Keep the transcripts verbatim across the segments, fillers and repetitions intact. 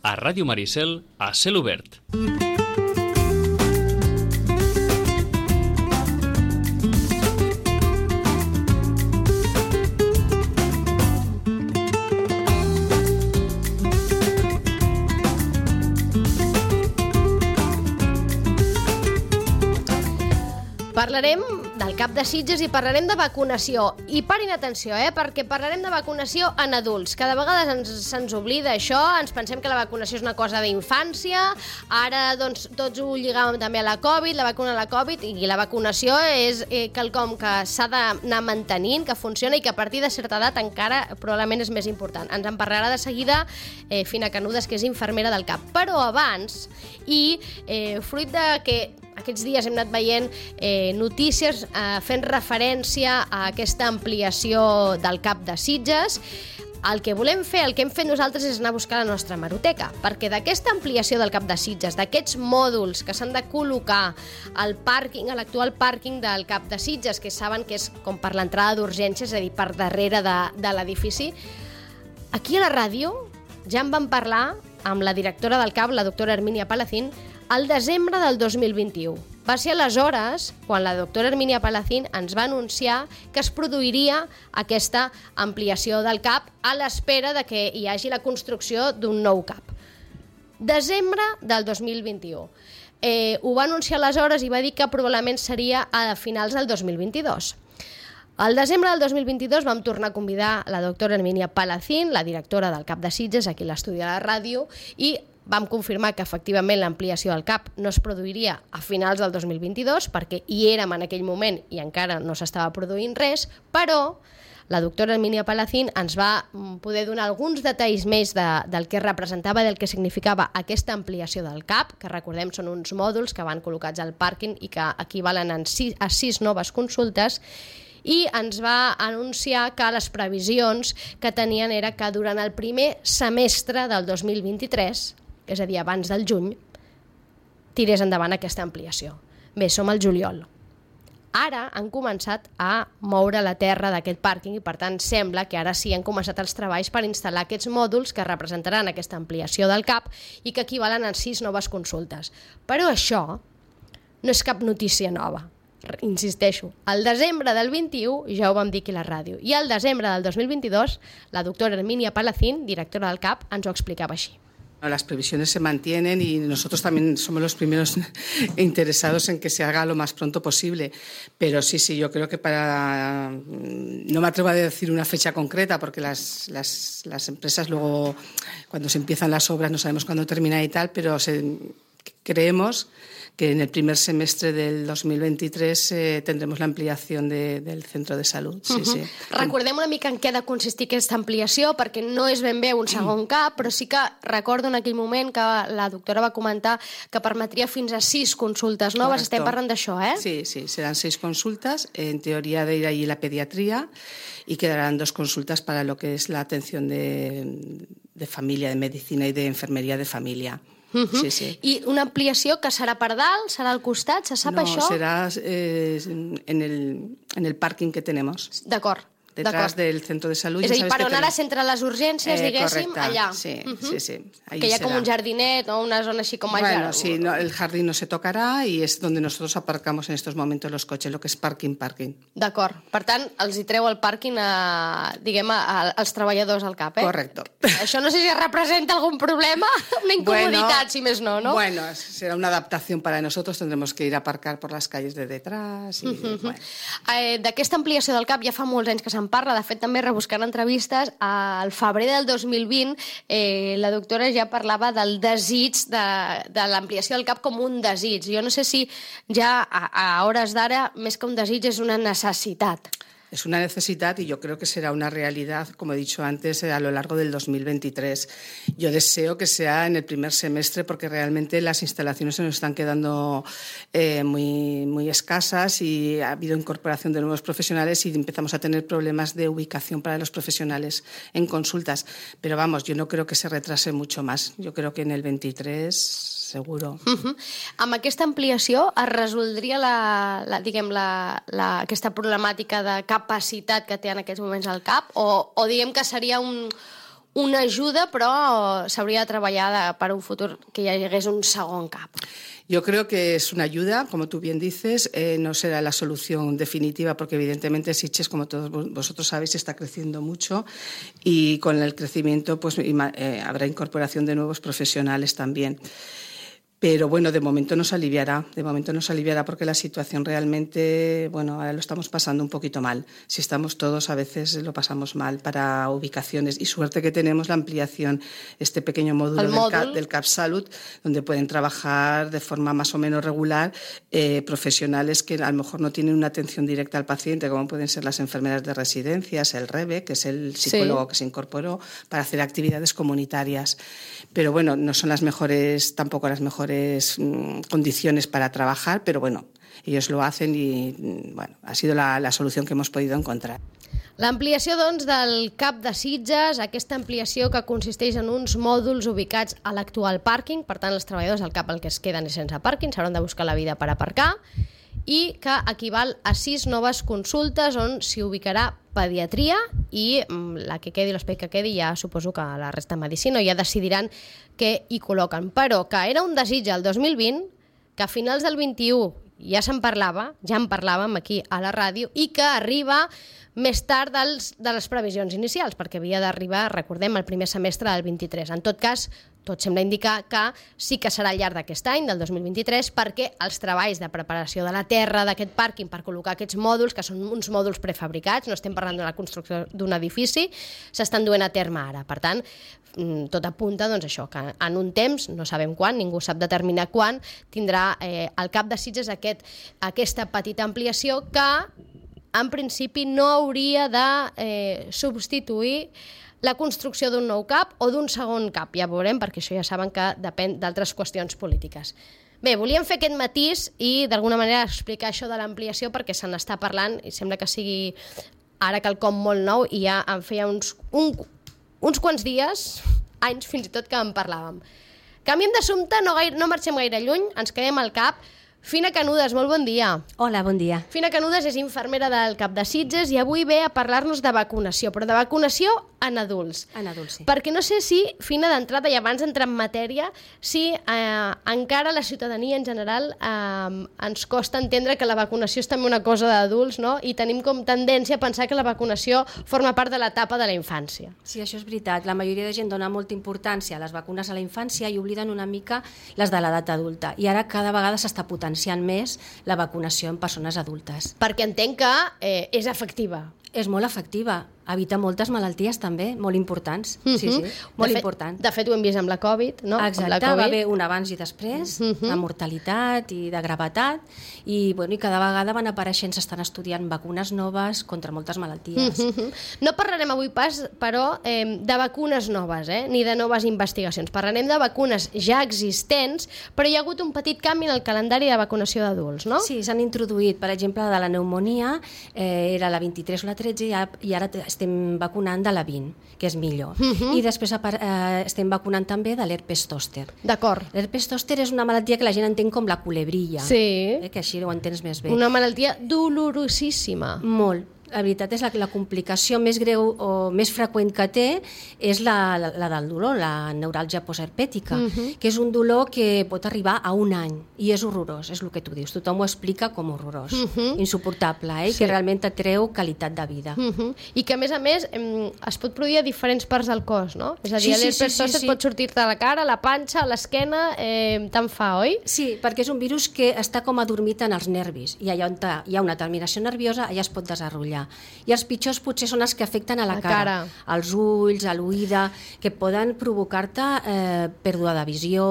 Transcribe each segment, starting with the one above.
A Ràdio Maricel, a cel obert. Parlarem del Cap de Sitges i parlarem de vacunació. I parin atenció, eh? perquè parlarem de vacunació en adults. Cada vegada ens, se'ns oblida això, ens pensem que la vacunació és una cosa d'infància, ara doncs, tots ho lligàvem també a la Covid, la vacuna a la Covid, i la vacunació és eh, quelcom que s'ha d'anar mantenint, que funciona i que a partir de certa edat encara probablement és més important. Ens en parlarà de seguida eh, Fina Canudes, que és infermera del CAP. Però abans, i eh, fruit de que aquests dies hem anat veient eh, notícies eh, fent referència a aquesta ampliació del CAP de Sitges, el que volem fer, el que hem fet nosaltres és anar a buscar la nostra hemeroteca, perquè d'aquesta ampliació del CAP de Sitges, d'aquests mòduls que s'han de col·locar al pàrquing, a l'actual pàrquing del CAP de Sitges, que saben que és com per l'entrada d'urgències, és a dir, per darrere de, de l'edifici, aquí a la ràdio ja en vam parlar amb la directora del CAP, la doctora Hermínia Palacín, al desembre del dos mil vint-i-u. Va ser aleshores quan la doctora Hermínia Palacín ens va anunciar que es produiria aquesta ampliació del CAP a l'espera de que hi hagi la construcció d'un nou CAP. Desembre del dos mil vint-i-u. Eh, ho va anunciar aleshores i va dir que probablement seria a finals del dos mil vint-i-dos. Al desembre del dos mil vint-i-dos vam tornar a convidar la doctora Hermínia Palacín, la directora del CAP de Sitges, aquí a l'estudi de la ràdio, i vam confirmar que efectivament l'ampliació del CAP no es produiria a finals del dos mil vint-i-dos, perquè hi érem en aquell moment i encara no s'estava produint res, però la doctora Hermínia Palacín ens va poder donar alguns detalls més de, del que representava, del que significava aquesta ampliació del CAP, que recordem són uns mòduls que van col·locats al pàrquing i que equivalen a sis, a sis noves consultes, i ens va anunciar que les previsions que tenien era que durant el primer semestre del dos mil vint-i-tres, és a dir, abans del juny, tirés endavant aquesta ampliació. Bé, som al juliol. Ara han començat a moure la terra d'aquest pàrquing i, per tant, sembla que ara sí han començat els treballs per instal·lar aquests mòduls que representaran aquesta ampliació del CAP i que equivalen a sis noves consultes. Però això no és cap notícia nova. Insisteixo, al desembre del vint-i-u ja ho vam dir aquí a la ràdio i al desembre del dos mil vint-i-dos la doctora Hermínia Palacín, directora del CAP, ens ho explicava així. Las previsiones se mantienen y nosotros también somos los primeros interesados en que se haga lo más pronto posible. Pero sí, sí, yo creo que para... No me atrevo a decir una fecha concreta porque las, las, las empresas luego, cuando se empiezan las obras, no sabemos cuándo termina y tal, pero se, creemos que en el primer semestre del dos mil vint-i-tres eh, tendremos la ampliación de, del centro de salud. Sí, uh-huh. sí. Recordem una mica en què ha de consistir aquesta ampliació, perquè no és ben bé un segon CAP, però sí que recordo en aquell moment que la doctora va comentar que permetria fins a sis consultes noves. Correcto. Estem parlant d'això, eh? Sí, sí, serán seis consultas. En teoría de ir allí la pediatría y quedarán dos consultas para lo que es la atención de, de familia, de medicina y de enfermería de familia. Uh -huh. sí, sí. I una ampliació que serà per dalt, serà al costat, se sap no, això? No, será eh, en, el, en el parking que tenemos. D'acord. Detrás del centro de salud. És a dir, per on ara s'entra les urgències, eh, diguéssim, correcte. allà. Sí, uh -huh. sí, sí. Ahí que hi ha será. com un jardinet o una zona així com allà. Bueno, sí, no, el jardín no se tocará y es donde nosotros aparcamos en estos momentos los coches, lo que es parking, parking. D'acord. Per tant, els hi treu el pàrquing a, diguem, a, als treballadors al CAP, eh? Correcto. Això no sé si representa algun problema, una incomoditat, bueno, si més no, no? Bueno, será una adaptación para nosotros, tendremos que ir a aparcar por las calles de detrás. Y, uh -huh. bueno. eh, D'aquesta ampliació del CAP ja fa molts anys que se'n parla, de fet també rebuscant entrevistes, al febrer del dos mil vint eh, la doctora ja parlava del desig de, de l'ampliació del CAP com un desig. Jo no sé si ja a, a hores d'ara, més que un desig, és una necessitat. Es una necesidad y yo creo que será una realidad, como he dicho antes, a lo largo del dos mil veintitrés. Yo deseo que sea en el primer semestre porque realmente las instalaciones se nos están quedando eh, muy, muy escasas y ha habido incorporación de nuevos profesionales y empezamos a tener problemas de ubicación para los profesionales en consultas. Pero vamos, yo no creo que se retrase mucho más. Yo creo que en el veintitrés... seguro. Uh-huh. Amb aquesta ampliació es resoldria la, la, diguem, la, la, aquesta problemàtica de capacitat que té en aquests moments el CAP o, o diguem que seria un, una ajuda, però s'hauria de treballar de, per un futur que hi hagués un segon cap. Yo creo que es una ayuda, como tú bien dices, eh, no será la solución definitiva porque evidentemente Sitges, como todos vosotros sabéis, está creciendo mucho y con el crecimiento pues eh, habrá incorporación de nuevos profesionales también. Pero bueno, de momento nos aliviará, de momento nos aliviará porque la situación realmente, bueno, ahora lo estamos pasando un poquito mal. Si estamos todos, a veces lo pasamos mal para ubicaciones y suerte que tenemos la ampliación, este pequeño módulo del, módulo. Cap, del CapSalut, donde pueden trabajar de forma más o menos regular eh, profesionales que a lo mejor no tienen una atención directa al paciente, como pueden ser las enfermeras de residencias, el REVE, que es el psicólogo sí. que se incorporó para hacer actividades comunitarias. Pero bueno, no son las mejores, tampoco las mejores condiciones para trabajar, pero bueno, ellos lo hacen y bueno, ha sido la, la solución que hemos podido encontrar. L'ampliació, doncs, del CAP de Sitges, aquesta ampliació que consisteix en uns mòduls ubicats a l'actual pàrquing, per tant, els treballadors del CAP el que es queden és sense pàrquing, s'hauran de buscar la vida per aparcar, i que equival a sis noves consultes on s'hi ubicarà pediatria i la que quedi, l'espai que quedi, ja suposo que la resta de medicina ja decidiran què hi col·loquen. Però que era un desig el dos mil vint, que a finals del vint-i-u ja se'n parlava, ja en parlàvem aquí a la ràdio, i que arriba més tard dels, de les previsions inicials, perquè havia d'arribar, recordem, el primer semestre del vint-i-tres. En tot cas, tot sembla indicar que sí que serà al llarg d'aquest any, del dos mil vint-i-tres, perquè els treballs de preparació de la terra d'aquest pàrquing per col·locar aquests mòduls, que són uns mòduls prefabricats, no estem parlant de la construcció d'un edifici, s'estan duent a terme ara. Per tant, tot apunta doncs, això, que en un temps, no sabem quan, ningú sap determinar quan, tindrà eh, el CAP de Sitges aquest, aquesta petita ampliació que, en principi, no hauria de eh, substituir la construcció d'un nou CAP o d'un segon CAP. Ja veurem, perquè això ja saben que depèn d'altres qüestions polítiques. Bé, volíem fer aquest matís i d'alguna manera explicar això de l'ampliació perquè se n'està parlant i sembla que sigui ara quelcom molt nou i ja en feia uns, un, uns quants dies, anys fins i tot, que en parlàvem. Canviem d'assumpte, no, gaire, no marxem gaire lluny, ens quedem al CAP. Fina Canudes, molt bon dia. Hola, bon dia. Fina Canudes és infermera del CAP de Sitges i avui ve a parlar-nos de vacunació, però de vacunació en adults. En adults, sí. Perquè no sé si, Fina, d'entrada i abans d'entrar en matèria, si eh, encara la ciutadania en general eh, ens costa entendre que la vacunació és també una cosa d'adults, no? I tenim com tendència a pensar que la vacunació forma part de l'etapa de la infància. Sí, això és veritat. La majoria de gent dona molta importància a les vacunes a la infància i obliden una mica les de l'edat adulta. I ara cada vegada s'està potenciant més la vacunació en persones adultes. Perquè entenc que eh, és efectiva. És molt efectiva. Evita moltes malalties també, molt importants. Mm-hmm. Sí, sí, molt de fet, important. De fet, ho hem vist amb la Covid, no? Exacte, amb la COVID. Va haver un abans i després, mm-hmm. de mortalitat i de gravetat, i, bueno, i cada vegada van apareixent, s'estan estudiant vacunes noves contra moltes malalties. Mm-hmm. No parlarem avui pas, però, eh, de vacunes noves, eh? Ni de noves investigacions. Parlarem de vacunes ja existents, però hi ha hagut un petit canvi en el calendari de vacunació d'adults, no? Sí, s'han introduït, per exemple, de la pneumonia, eh, era la vint-i-tres o la tretze, i ara estem vacunant de la vint, que és millor. Uh-huh. I després eh, estem vacunant també de l'herpes zòster. D'acord. L'herpes zòster és una malaltia que la gent entén com la culebrilla, sí. eh, que així ho entens més bé. Una malaltia dolorosíssima. Molt. La veritat és que la, la complicació més greu o més freqüent que té és la, la, la del dolor, la neuràlgia postherpètica, uh-huh. que és un dolor que pot arribar a un any i és horrorós, és el que tu dius. Tothom ho explica com horrorós, uh-huh. insuportable, eh? Sí. Que realment et treu qualitat de vida. Uh-huh. I que, a més a més, em, es pot produir a diferents parts del cos, no? És a dir, sí, sí, l'herpes sí, sí, zòster sí. pot sortir-te a la cara, a la panxa, a l'esquena, eh, tant fa, oi? Sí, perquè és un virus que està com adormit en els nervis i allà on hi ha una terminació nerviosa allà es pot desenrotllar. I els pitjors potser són els que afecten a la, la cara, cara, als ulls, a l'oïda, que poden provocar-te eh, pèrdua de visió,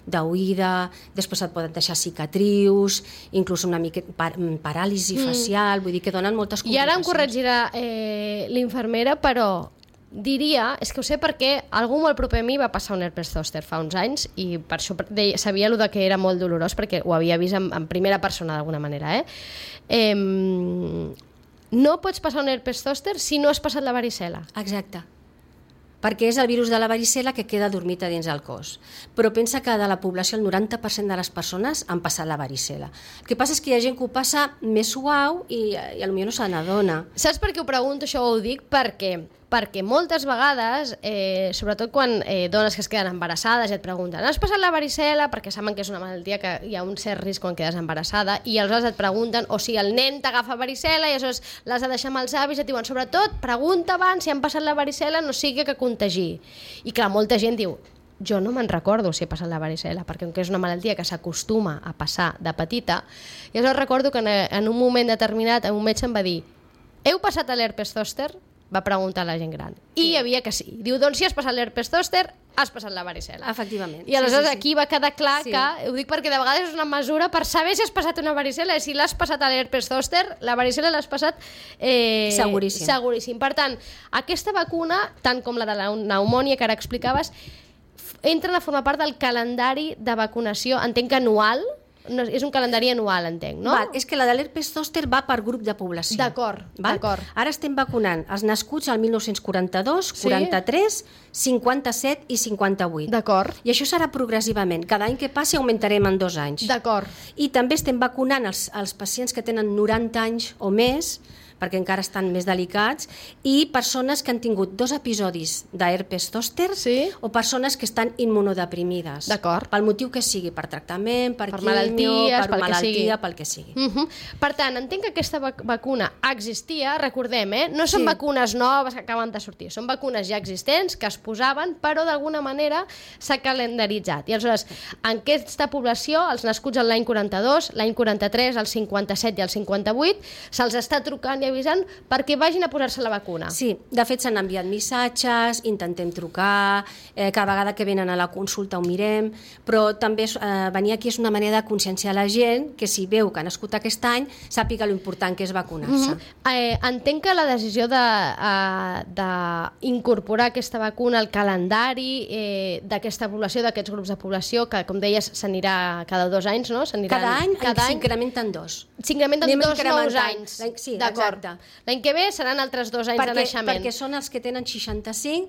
d'oïda, després et poden deixar cicatrius, inclús una mica par paràlisi mm. facial, vull dir que donen moltes complicacions. I ara em corregirà eh, l'infermera, però diria, és que ho sé perquè algú molt proper a mi va passar un herpes zòster fa uns anys i per això deia, sabia el que era molt dolorós perquè ho havia vist en, en primera persona d'alguna manera. Eh? Eh, no pots passar un herpes zòster si no has passat la varicel·la. Exacte. Perquè és el virus de la varicel·la que queda dormit a dins del cos. Però pensa que de la població el noranta per cent de les persones han passat la varicel·la. El que passa és que hi ha gent que ho passa més suau i, i potser no se n'adona. Saps per què ho pregunto, això ho dic? Perquè perquè moltes vegades, eh, sobretot quan eh, dones que es queden embarassades i et pregunten has passat la varicel·la, perquè saben que és una malaltia que hi ha un cert risc quan quedes embarassada, i aleshores et pregunten, o si el nen t'agafa varicel·la i aleshores l'has de deixar amb els avis, et diuen, sobretot, pregunta abans si han passat la varicel·la, no sigui que contagi. I clar, molta gent diu, jo no me'n recordo si he passat la varicel·la, perquè com que és una malaltia que s'acostuma a passar de petita, i aleshores recordo que en un moment determinat un metge em va dir, heu passat l'herpes zòster? Va preguntar a la gent gran. I sí. Hi havia que sí. Diu, doncs si has passat l'herpes zòster, has passat la varicel·la. Efectivament. I aleshores sí, sí, sí. Aquí va quedar clar sí. que, ho dic perquè de vegades és una mesura per saber si has passat una varicel·la, i si l'has passat a l'herpes zòster, la varicel·la l'has passat eh, seguríssim. seguríssim. Per tant, aquesta vacuna, tant com la de la pneumònia que ara explicaves, entren a formar part del calendari de vacunació, entenc que anual, no, és un calendari anual, entenc, no? Val, és que la de l'herpes zòster va per grup de població. D'acord, d'acord. Ara estem vacunant els nascuts al mil nou-cents quaranta-dos, sí? quaranta-tres, cinquanta-set i cinquanta-vuit. D'acord. I això serà progressivament. Cada any que passi augmentarem en dos anys. D'acord. I també estem vacunant els, els pacients que tenen noranta anys o més, perquè encara estan més delicats, i persones que han tingut dos episodis d'herpes zòster, sí? O persones que estan immunodeprimides. D'acord. Pel motiu que sigui, per tractament, per, per quimio, malalties, per pel malaltia, que sigui. pel que sigui. Uh -huh. Per tant, entenc que aquesta vac vacuna existia, recordem, eh? No són sí. vacunes noves que acaben de sortir, són vacunes ja existents que es posaven, però d'alguna manera s'ha calendaritzat. I aleshores, en aquesta població, els nascuts l'any quaranta-dos, l'any quaranta-tres, el cinquanta-set i el cinquanta-vuit, se'ls està trucant i avisant perquè vagin a posar-se la vacuna. Sí, de fet s'han enviat missatges, intentem trucar, eh, cada vegada que venen a la consulta ho mirem, però també eh, venir aquí és una manera de conscienciar la gent que si veu que ha nascut aquest any, sàpiga l'important que és vacunar-se. Mm -hmm. eh, entenc que la decisió d'incorporar de, uh, aquesta vacuna al calendari eh, d'aquesta població, d'aquests grups de població, que com deies s'anirà cada dos anys, no? Cada any s'incrementen dos. S'incrementen dos nous anys. Sí, d'acord. L'any que ve seran altres dos anys perquè, de naixement. Perquè són els que tenen seixanta-cinc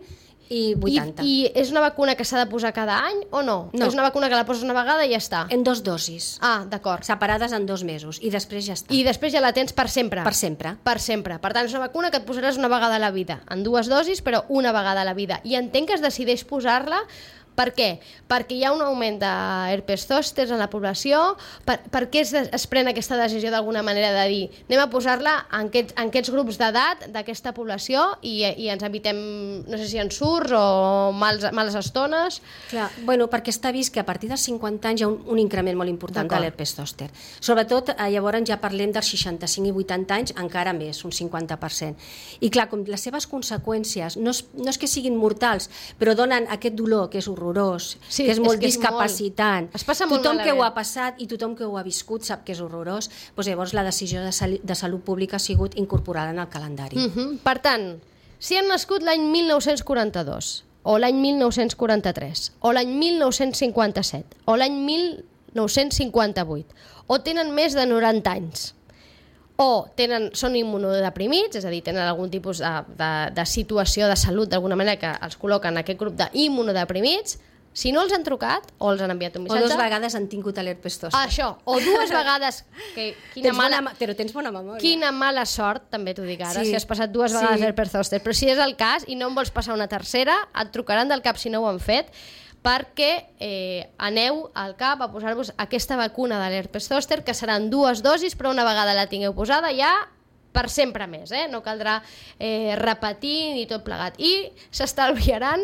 i vuitanta. I, I és una vacuna que s'ha de posar cada any o no? No. És una vacuna que la poses una vegada i ja està? En dos dosis. Ah, d'acord. Separades en dos mesos i després ja està. I després ja la tens per sempre? Per sempre. Per sempre. Per tant, és una vacuna que et posaràs una vegada a la vida. En dues dosis, però una vegada a la vida. I entenc que es decideix posar-la. Per què? Perquè hi ha un augment d'herpes zòsters en la població. Per, per què es, es pren aquesta decisió d'alguna manera de dir anem a posar-la en, aquest, en aquests grups d'edat d'aquesta població i, i ens evitem, no sé si ensurts o mals, males estones? Clar, bueno, perquè està vist que a partir dels cinquanta anys hi ha un, un increment molt important de l'herpes zòster. Sobretot, eh, llavors ja parlem dels seixanta-cinc i vuitanta anys, encara més, un cinquanta per cent. I clar, com les seves conseqüències no és, no és que siguin mortals, però donen aquest dolor que és horrorós, sí, que és molt és que discapacitant. És molt. Es passa molt tothom que malament. ho ha passat i tothom que ho ha viscut sap que és horrorós, doncs llavors la decisió de, sal de salut pública ha sigut incorporada en el calendari. Uh -huh. Per tant, si han nascut l'any mil nou-cents quaranta-dos, o l'any mil nou-cents quaranta-tres, o l'any mil nou-cents cinquanta-set, o l'any mil nou-cents cinquanta-vuit, o tenen més de noranta anys, o tenen, són immunodeprimits, és a dir, tenen algun tipus de, de, de situació de salut d'alguna manera que els col·loquen en aquest grup d'immunodeprimits, si no els han trucat o els han enviat un missatge... O dues vegades han tingut l'herpes zòster. Això, o dues vegades... Que, quina tens mala, bona, però tens bona memòria. Quina mala sort, també t'ho dic ara, sí. si has passat dues vegades sí. l'herpes zòster. Però si és el cas i no en vols passar una tercera, et trucaran del cap si no ho han fet, perquè eh, aneu al cap a posar-vos aquesta vacuna de l'herpes zòster, que seran dues dosis, però una vegada la tingueu posada ja per sempre més, eh? No caldrà eh, repetir ni tot plegat. I s'estalviaran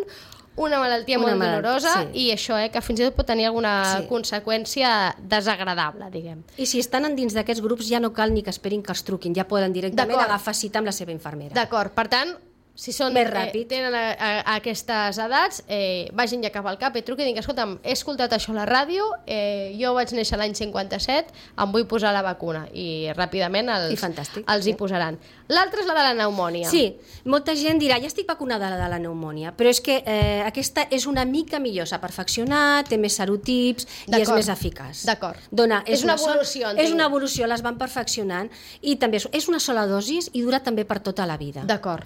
una malaltia una molt malalt, dolorosa sí. I això, eh, que fins i tot pot tenir alguna sí. conseqüència desagradable, diguem. I si estan dins d'aquests grups ja no cal ni que esperin que els truquin, ja poden directament agafar cita amb la seva infermera. D'acord, per tant, si són, més ràpid. Eh, tenen a, a, a aquestes edats, eh, vagin ja cap al cap i truquin i diguin, escolta'm, he escoltat això a la ràdio, eh, jo vaig néixer l'any cinquanta-set, em vull posar la vacuna, i ràpidament els, I fantàstic, els sí. hi posaran. L'altra és la de la pneumònia. Sí, molta gent dirà, ja estic vacunada de la pneumònia, però és que eh, aquesta és una mica millor, s'ha perfeccionat, té més serotips i és més eficaç. D'acord. Dona, és, és una, una evolució, entenc. És una evolució, les van perfeccionant, i també és una sola dosis i dura també per tota la vida. D'acord.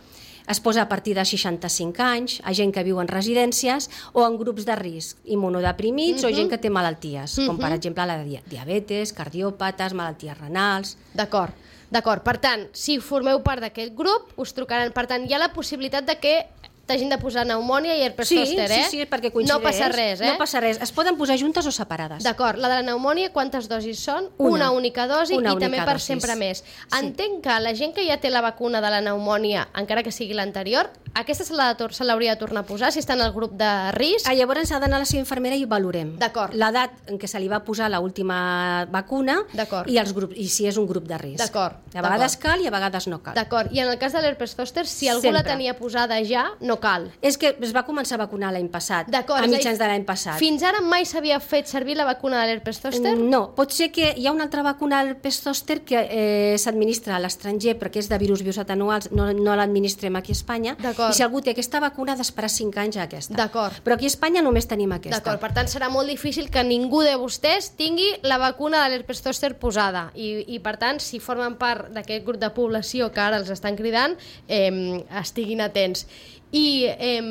Es posa a partir de seixanta-cinc anys, a gent que viu en residències o en grups de risc, immunodeprimits uh-huh. o gent que té malalties, uh-huh. com per exemple la di- diabetes, cardiòpates, malalties renals... D'acord, d'acord. Per tant, si formeu part d'aquest grup, us trucaran. Per tant, hi ha la possibilitat de que t'hagin de posar pneumònia i herpes Sí, zòster, eh? sí, sí, perquè coincideix. No passa res, eh? No passa res. Es poden posar juntes o separades. D'acord, la de la pneumònia, quantes dosis són? Una. Una única dosi Una i única també per dosis. sempre més. Sí. Entenc que la gent que ja té la vacuna de la pneumònia, encara que sigui l'anterior, aquesta se l'ha de tor- se l'hauria de tornar a posar si està en el grup de risc? Ah, llavors ha d'anar a la seva infermera i ho valorem. D'acord. L'edat en què se li va posar l'última vacuna D'acord. i, els grups, i si és un grup de risc. D'acord, A vegades d'acord. cal i a vegades no cal. D'acord, i en el cas de l'herpes zòster, si algú la Sempre. tenia posada ja, no cal. És que es va començar a vacunar l'any passat, D'acord, a és a dir, mitjans de l'any passat. Fins ara mai s'havia fet servir la vacuna de l'herpes zòster? No, pot ser que hi ha una altra vacuna del herpes zòster que eh, s'administra a l'estranger perquè és de virus vius atenuats, no, no l'administrem aquí a Espanya, D'acord. i si algú té aquesta vacuna ha d'esperar cinc anys a aquesta. D'acord. Però aquí a Espanya només tenim aquesta. D'acord, per tant serà molt difícil que ningú de vostès tingui la vacuna de l'herpes zòster posada i, i per tant, si formen part d'aquest grup de població que ara els estan cridant, eh, estiguin atents. I eh,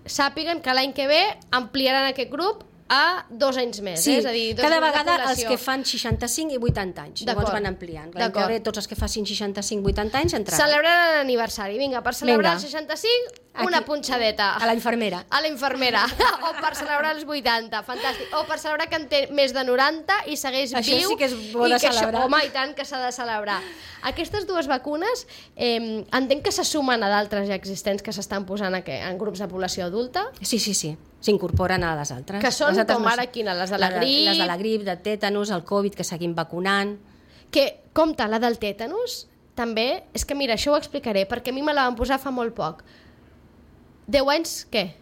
sàpiguen que l'any que ve ampliaran aquest grup a dos anys més, Sí, eh? És a dir, dos cada grups de vegada els població. que fan seixanta-cinc i vuitanta anys, llavors D'acord. van ampliant. L'any que D'acord. ve tots els que facin seixanta-cinc vuitanta anys entraran. Celebraran l'aniversari, vinga, per celebrar Vinga. els seixanta-cinc, una Aquí, punxadeta. A la infermera. A la infermera. O per celebrar els vuitanta, fantàstic. O per celebrar que en té més de noranta i segueix Això viu. sí que és bo i de que això- celebrar. Home, i tant que s'ha de celebrar. Aquestes dues vacunes eh, entenc que se sumen a d'altres ja existents que s'estan posant a que, en grups de població adulta, Sí, sí, sí. S'incorporen a les altres. que són Les altres com no ara són. quines, les de la Les grip, Les de la grip, de tètanus, el Covid, que seguim vacunant. que, compte, la del tètanus, també, és que mira, això ho explicaré, perquè a mi me la van posar fa molt poc. deu anys, què?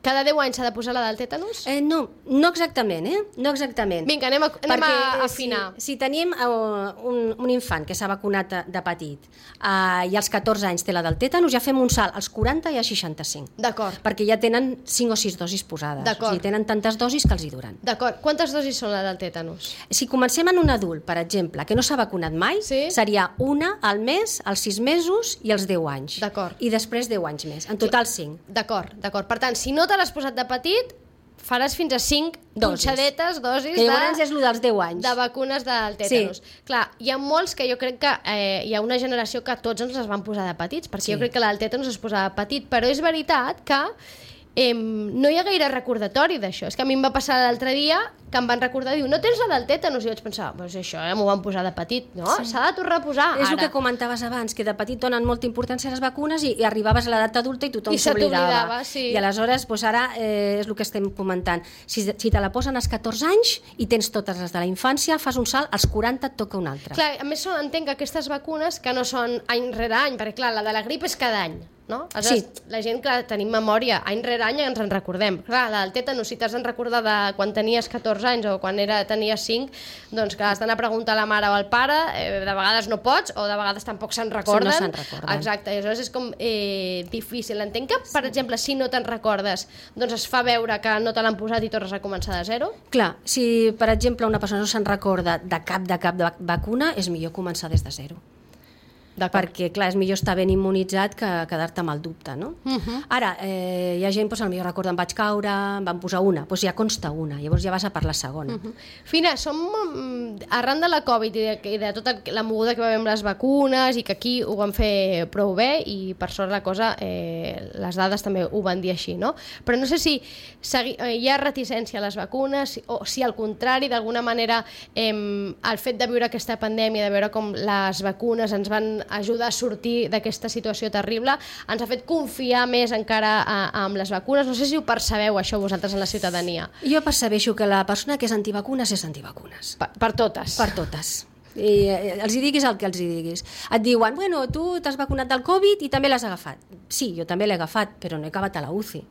Cada deu anys s'ha de posar la del tètanus? Eh, no, no exactament, eh? No exactament. Vinga, anem a, anem a Perquè, eh, afinar. Si, si tenim uh, un, un infant que s'ha vacunat de, de petit uh, i als catorze anys té la del tètanus, ja fem un salt als quaranta i als seixanta-cinc. D'acord. Perquè ja tenen cinc o sis dosis posades. D'acord. O sigui, tenen tantes dosis que els hi duran. D'acord. Quantes dosis són la del tètanus? Si comencem en un adult, per exemple, que no s'ha vacunat mai, Sí. seria una al mes, als sis mesos i als deu anys. D'acord. I després deu anys més. En total cinc. D'acord, d'acord. Per tant, si no te l'has posat de petit, faràs fins a cinc Dosis. punxadetes, dosis Que llavors de, és el dels deu anys. de vacunes del tètanus. Sí. Clar, hi ha molts que jo crec que eh, hi ha una generació que tots ens les van posar de petits, perquè Sí. jo crec que la del tètanus es posava de petit, però és veritat que eh, no hi ha gaire recordatori d'això. És que a mi em va passar l'altre dia que em van recordar, diu, no tens la del tètanus? I vaig pensar, pues això ja m'ho van posar de petit. No, s'ha sí. de tornar a posar És el ara. que comentaves abans, que de petit donen molta importància a les vacunes i, i arribaves a l'edat adulta i tothom I se s'oblidava. t'oblidava, sí. I aleshores, doncs ara eh, és el que estem comentant. Si, si te la posen als catorze anys i tens totes les de la infància, fas un salt, als quaranta et toca una altra. Clar, a més són, entenc que aquestes vacunes que no són any rere any, perquè clar, la de la grip és cada any, no? Aleshores, Sí. la gent, clar, tenim memòria, any rere any ens en recordem. Clar, la del tètanus, si t'has de recordar de quan tenies catorze anys o quan era, tenies cinc, doncs clar, has d'anar a preguntar a la mare o al pare, eh, de vegades no pots, o de vegades tampoc se'n recorden. No se'n recorden. Exacte, i aleshores és com eh, difícil. Entenc que, per exemple, si no te'n recordes, doncs es fa veure que no te l'han posat i tornes a començar de zero. Clar, si per exemple una persona no se'n recorda de cap de cap de vac- vacuna, és millor començar des de zero. Perquè, clar, és millor estar ben immunitzat que quedar-te amb el dubte, no? Uh -huh. Ara, eh, hi ha gent, doncs, potser recorda, em vaig caure, em van posar una, doncs ja consta una, llavors ja vas a per la segona. Uh -huh. Fina, som, mm, arran de la Covid i de, i de tota la moguda que va haver amb les vacunes i que aquí ho van fer prou bé i per sort la cosa, eh, les dades també ho van dir així, no? Però no sé si segui, eh, hi ha reticència a les vacunes o si al contrari, d'alguna manera, eh, el fet de viure aquesta pandèmia, de veure com les vacunes ens van ajudar a sortir d'aquesta situació terrible, ens ha fet confiar més encara a, amb les vacunes. No sé si ho percebeu, això, vosaltres, en la ciutadania. Jo percebeixo que la persona que és antivacunes és antivacunes. Per, per totes. Per totes. I eh, els hi diguis el que els hi diguis. Et diuen, bueno, tu t'has vacunat del Covid i també l'has agafat. Sí, jo també l'he agafat, però no he acabat a la U C I.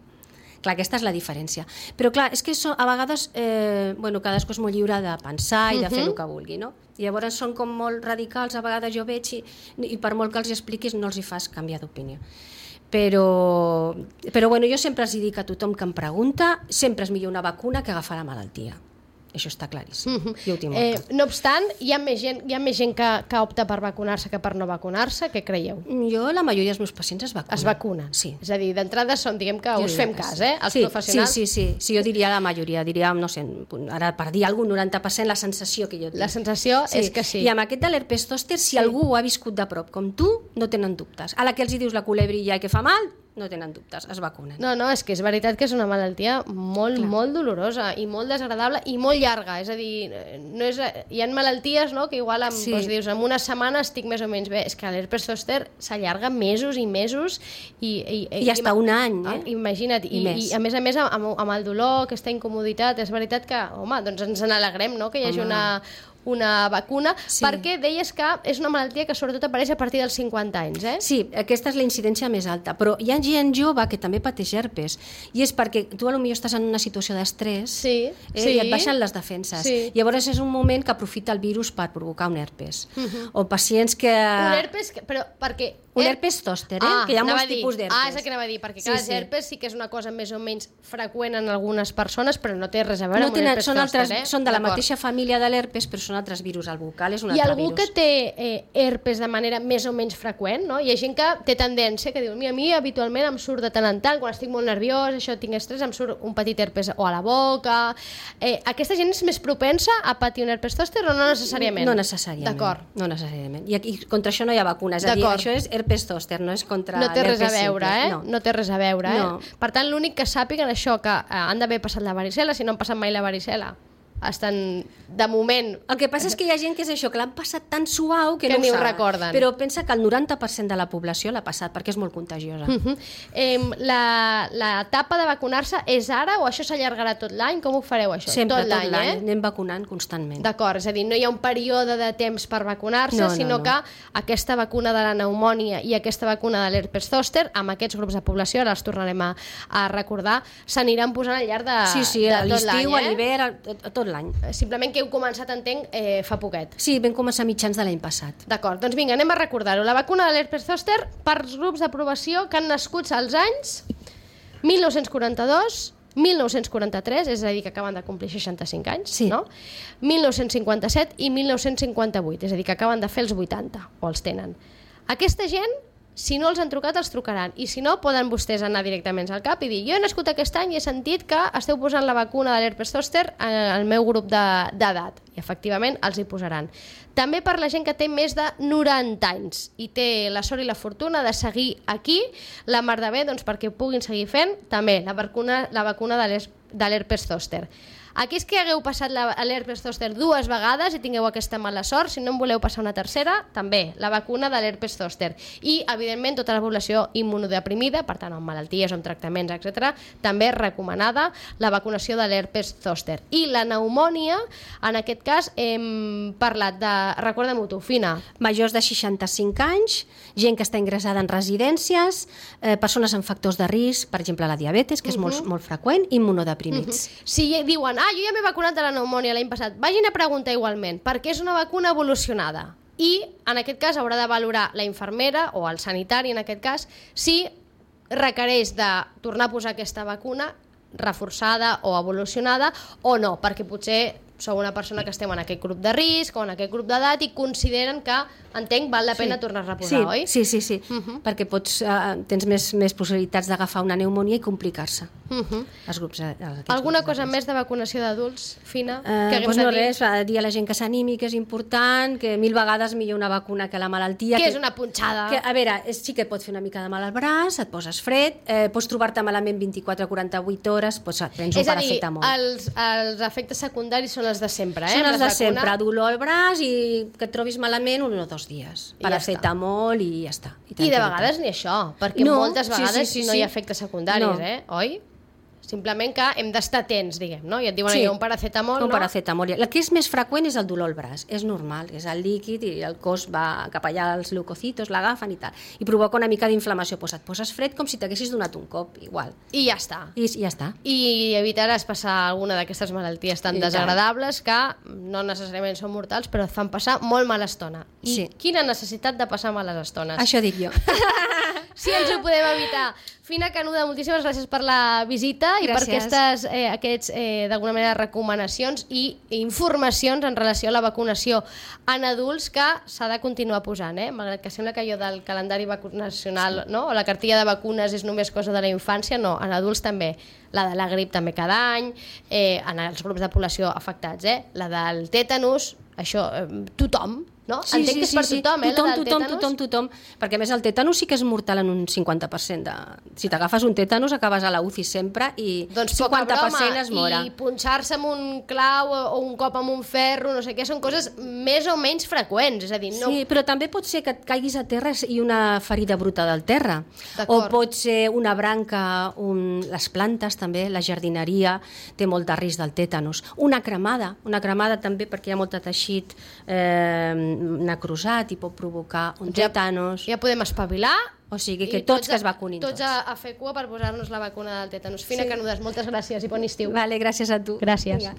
Clar, aquesta és la diferència. Però clar, és que so, a vegades eh, bueno, cadascú és molt lliure de pensar i de fer el que vulgui, no? I llavors són com molt radicals, a vegades jo veig i, i per molt que els expliquis no els hi fas canviar d'opinió. Però, però bueno, jo sempre els dic a tothom que em pregunta, sempre és millor una vacuna que agafar la malaltia. això està claríssim. Mhm. Jo ho tinc Eh, molt clar. no obstant, hi ha més gent, hi ha més gent que, que opta per vacunar-se que per no vacunar-se. Què creieu? Jo, la majoria dels meus pacients es vacunen. Es vacunen? Sí. És a dir, d'entrada són, diguem que Jo us diria fem que cas, sí. eh? Els sí, professionals. Sí, sí, sí, sí. Jo diria la majoria, diria, no sé, ara per dir algun noranta per cent la sensació que jo tinc. La sensació és que sí. I amb aquest de l'herpes zòster, si Sí. algú ho ha viscut de prop com tu, no tenen dubtes. A la que els hi dius la culebrilla i que fa mal, no tenen dubtes, es vacunen. No, no, és que és veritat que és una malaltia molt, Clar. molt dolorosa i molt desagradable i molt llarga. És a dir, no és, hi ha malalties, no?, que igual amb, Sí. doncs, dius, en una setmana estic més o menys bé. És que l'herpes zòster s'allarga mesos i mesos i... I, I hasta un any, eh? Imagina't. I, I I, més. i a més a més, amb, amb el dolor, aquesta incomoditat, és veritat que, home, doncs ens n'alegrem, no?, que hi hagi Home. una una vacuna, Sí. perquè deies que és una malaltia que sobretot apareix a partir dels cinquanta anys, eh? Sí, aquesta és la incidència més alta, però hi ha gent jove que també pateix herpes, i és perquè tu potser estàs en una situació d'estrès Sí, eh, sí. i et baixen les defenses. Sí. Llavors és un moment que aprofita el virus per provocar un herpes. O pacients que... Un herpes, que- però perquè... Un herpes zòster, eh? Ah, que hi ha anava molts a dir. tipus d'herpes. Ah, és el que anava a dir, perquè Sí, clar, sí. sí, herpes sí que és una cosa més o menys freqüent en algunes persones, però no té res a veure No amb tenen, un herpes són, zòster, altres, eh? són de la D'acord. mateixa família de l'herpes, però són altres virus. El bucal és un Hi ha altre algú virus. que té eh, herpes de manera més o menys freqüent, no? Hi ha gent que té tendència, que diu, a mi habitualment em surt de tant en tant, quan estic molt nerviós, això tinc estrès, em surt un petit herpes o a la boca... Eh, aquesta gent és més propensa a patir un herpes zòster o no necessàriament? No necessàriament. D'acord. No necessàriament. I aquí, contra això no hi ha vacuna. És a dir, D'acord. això és herpes zòster, no és contra No té res a l'herpes veure, simple. eh? No. No té res a veure, eh? No. Per tant, l'únic que sàpiguen això, que eh, han d'haver passat la varicel·la, si no han passat mai la varicel·la, estan, de moment... El que passa és que hi ha gent que és això, que l'han passat tan suau que, Que no ni ho saben. recorden. Però pensa que el noranta per cent de la població l'ha passat perquè és molt contagiosa. Uh -huh. eh, la, la etapa de vacunar-se és ara o això s'allargarà tot l'any? Com ho fareu, això? Sempre, tot l'any, eh? Anem vacunant constantment. D'acord, és a dir, no hi ha un període de temps per vacunar-se, No, no, sinó no. que aquesta vacuna de la pneumònia i aquesta vacuna de l'herpes zòster, amb aquests grups de població, ara els tornarem a, a recordar, s'aniran posant al llarg de, Sí, sí, de a tot l'estiu, l'any, a eh? l'hivern, a, a tot l'any. Simplement que heu començat, entenc, eh, fa poquet. Sí, vam començar a mitjans de l'any passat. D'acord, doncs vinga, anem a recordar-ho. La vacuna de l'herpes zòster per als grups d'aprovació que han nascut als anys mil nou-cents quaranta-dos, mil nou-cents quaranta-tres, és a dir, que acaben de complir seixanta-cinc anys, Sí. no? mil nou-cents cinquanta-set i mil nou-cents cinquanta-vuit, és a dir, que acaben de fer els vuitanta, o els tenen. Aquesta gent, si no els han trucat, els trucaran. I si no, poden vostès anar directament al cap i dir, jo he nascut aquest any i he sentit que esteu posant la vacuna de l'herpes zòster al meu grup de- d'edat. I efectivament els hi posaran. També per la gent que té més de noranta anys i té la sort i la fortuna de seguir aquí, la mar de bé, doncs perquè ho puguin seguir fent, també la vacuna, la vacuna de l'her- de l'herpes zòster. Aquells que hagueu passat la- l'herpes zòster dues vegades i tingueu aquesta mala sort, si no en voleu passar una tercera, també la vacuna de l'herpes zòster. I, evidentment, tota la població immunodeprimida, per tant, amb malalties, amb tractaments, etcètera, també recomanada la vacunació de l'herpes zòster. I la pneumònia, en aquest cas, hem parlat de... Recordem-ho tu, Fina. Majors de seixanta-cinc anys, gent que està ingressada en residències, eh, persones amb factors de risc, per exemple la diabetes, que és molt, molt freqüent, i immunodeprimits. Si diuen, ah, jo ja m'he vacunat de la pneumònia l'any passat, vagin a preguntar igualment, perquè és una vacuna evolucionada. I, en aquest cas, haurà de valorar la infermera o el sanitari, en aquest cas, si requereix de tornar a posar aquesta vacuna reforçada o evolucionada o no, perquè potser sou una persona que estem en aquest grup de risc o en aquest grup d'edat i consideren que, entenc, val la pena Sí. tornar a reposar, sí, oi? Sí, sí, sí, perquè pots, eh, tens més, més possibilitats d'agafar una pneumònia i complicar-se. Uh -huh. Els grups, eh, aquests Alguna grups de cosa risc. més de vacunació d'adults, Fina? Eh, que haguem doncs de no dir? res, va dir a la gent que s'animi, que és important, que mil vegades millor una vacuna que la malaltia. Que és una punxada. Que, a veure, és, sí que et pot fer una mica de mal al braç, et poses fred, eh, pots trobar-te malament vint-i-quatre a quaranta-vuit hores, doncs et prens un És a dir, paracetamol. els, els efectes secundaris són els de sempre, eh? Són els Les de vacunes- sempre, dolor al braç i que et trobis malament un o dos dies. I ja Paracetamol i ja està. I de tranquil·litat. vegades ni això, perquè No, moltes sí, vegades sí, sí, no hi ha sí. efectes secundaris, No. eh? Oi? Simplement que hem d'estar atents, diguem, no? I et diuen Sí. allò, un paracetamol, Un no? paracetamol. El que és més freqüent és el dolor al braç. És normal, és el líquid i el cos va cap allà, els leucocitos l'agafen i tal. I provoca una mica d'inflamació. Pues et poses fred com si t'haguessis donat un cop, igual. I ja està. I, i ja està. I evitaràs passar alguna d'aquestes malalties tan I tant. desagradables que no necessàriament són mortals, però et fan passar molt mala estona. I Sí. quina necessitat de passar males estones? Això dic jo. si ens ho podem evitar. Fina Canuda, moltíssimes gràcies per la visita i gràcies. per aquestes eh, aquests, eh, d'alguna manera, recomanacions i informacions en relació a la vacunació en adults que s'ha de continuar posant, eh? Malgrat que sembla que allò del calendari vacunacional, no? O la cartilla de vacunes és només cosa de la infància, no, en adults també. La de la grip també cada any, eh, en els grups de població afectats, eh? La del tètanus, això, eh, tothom, no? Sí, Entenc sí, que és sí, per sí. tothom, eh? Tothom, la del tothom, tètanus. tothom, tothom, perquè a més el tètanus sí que és mortal en un cinquanta per cent. De... Si t'agafes un tètanus acabes a la U C I sempre i Doncs cinquanta per cent broma, es mora. i punxar-se amb un clau o un cop amb un ferro, no sé què, són coses més o menys freqüents, és a dir, no... Sí, però també pot ser que et caiguis a terra i una ferida bruta del terra. O D'acord. pot ser una branca, un... les plantes també, la jardineria té molt de risc del tètanus. Una cremada, una cremada també perquè hi ha molt de teixit eh, necrosat i pot provocar un Ja- tètanus. Ja podem espavilar. O sigui que i tots que es vacunin tots. tots. a, a fer cua per posar-nos la vacuna del tètanus. Fina Canudes, moltes gràcies i bon estiu. Vale, gràcies a tu. Gràcies. Vinga.